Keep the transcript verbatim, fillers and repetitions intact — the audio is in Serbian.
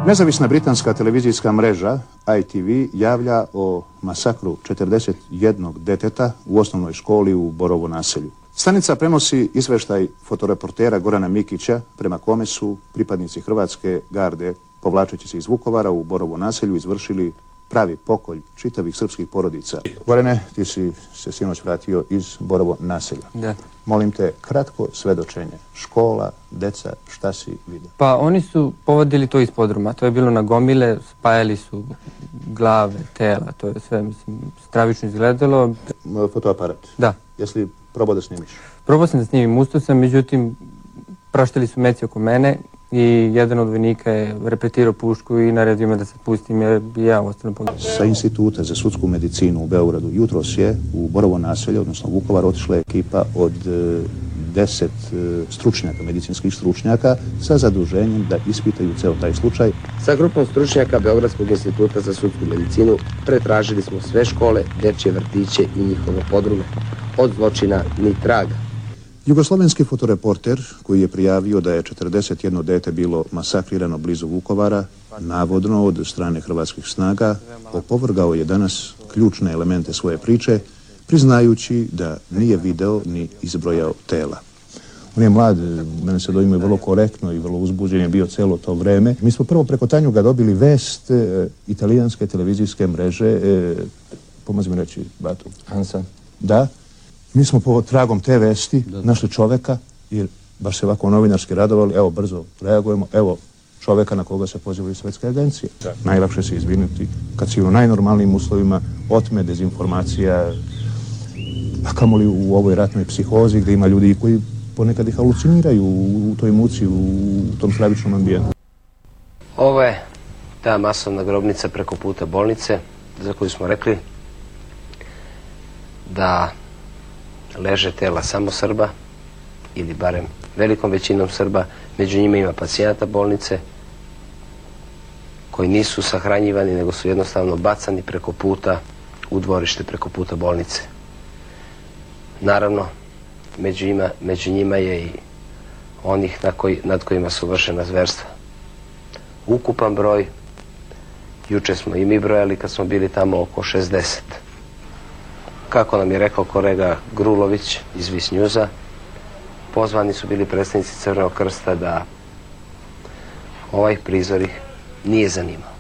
Nezavisna britanska televizijska mreža I T V javlja o masakru četrdeset jednog deteta u osnovnoj školi u Borovo naselju. Stanica prenosi izveštaj fotoreportera Gorana Mikića prema kome su pripadnici Hrvatske garde, povlačeći se iz Vukovara u Borovo naselju, izvršili pravi pokolj čitavih srpskih porodica. Gorane, ti si se sinoć vratio iz Borovo naselja. Da. Molim te, kratko svedočenje. Škola, deca, šta si vidio? Pa oni su povodili to iz podruma. To je bilo na gomile, spajali su glave, tela, to je sve, mislim, stravično izgledalo. Fotoaparat? Da. Jesi li probao da snimiš? Probao sam da snimim, ustao sam, međutim, praštali su meci oko mene i jedan od vojnika je repetirao pušku i naredio me da se pustim jer bi ja ostalo pogledao. Sa Instituta za sudsku medicinu u Beogradu jutros je u Borovo naselje, odnosno Vukovar, otišla ekipa od deset stručnjaka, medicinskih stručnjaka sa zaduženjem da ispitaju ceo taj slučaj. Sa grupom stručnjaka Beogradskog instituta za sudsku medicinu pretražili smo sve škole, dečje vrtiće i njihove podrume. Od zločina ni traga. Jugoslovenski fotoreporter koji je prijavio da je četrdeset jedno dete bilo masakrirano blizu Vukovara, navodno od strane hrvatskih snaga, opovrgao je danas ključne elemente svoje priče, priznajući da nije video ni izbrojao tela. On je mlad, mene se dojmio vrlo korektno i vrlo uzbuđen je bio celo to vreme. Mi smo prvo preko Tanjuga dobili vest e, italijanske televizijske mreže, e, pomozi mi reći, Batu. Hansa. Da. Mi smo po tragom te vesti našli čoveka, jer baš se ovako novinarski radovali, evo brzo reagujemo, evo čoveka na koga se pozivaju svetske agencije. Da. Najlakše se izvinuti kad si u najnormalnijim uslovima otme dezinformacija, a kamoli u ovoj ratnoj psihozi gdje ima ljudi koji ponekad ih haluciniraju u toj muci, u tom stravičnom ambijentu. Ovo je ta masovna grobnica preko puta bolnice za koju smo rekli da leže tela samo Srba ili barem velikom većinom Srba. Među njima ima pacijenata bolnice koji nisu sahranjivani nego su jednostavno bacani preko puta u dvorište preko puta bolnice. Naravno, među njima, među njima je i onih na koji, nad kojima su vršena zverstva. Ukupan broj, juče smo i mi brojali kad smo bili tamo, oko šezdeset. Kako nam je rekao kolega Grulović iz Vis Njuza, pozvani su bili predstavnici Crvenog krsta da ovaj prizor ih nije zanimao.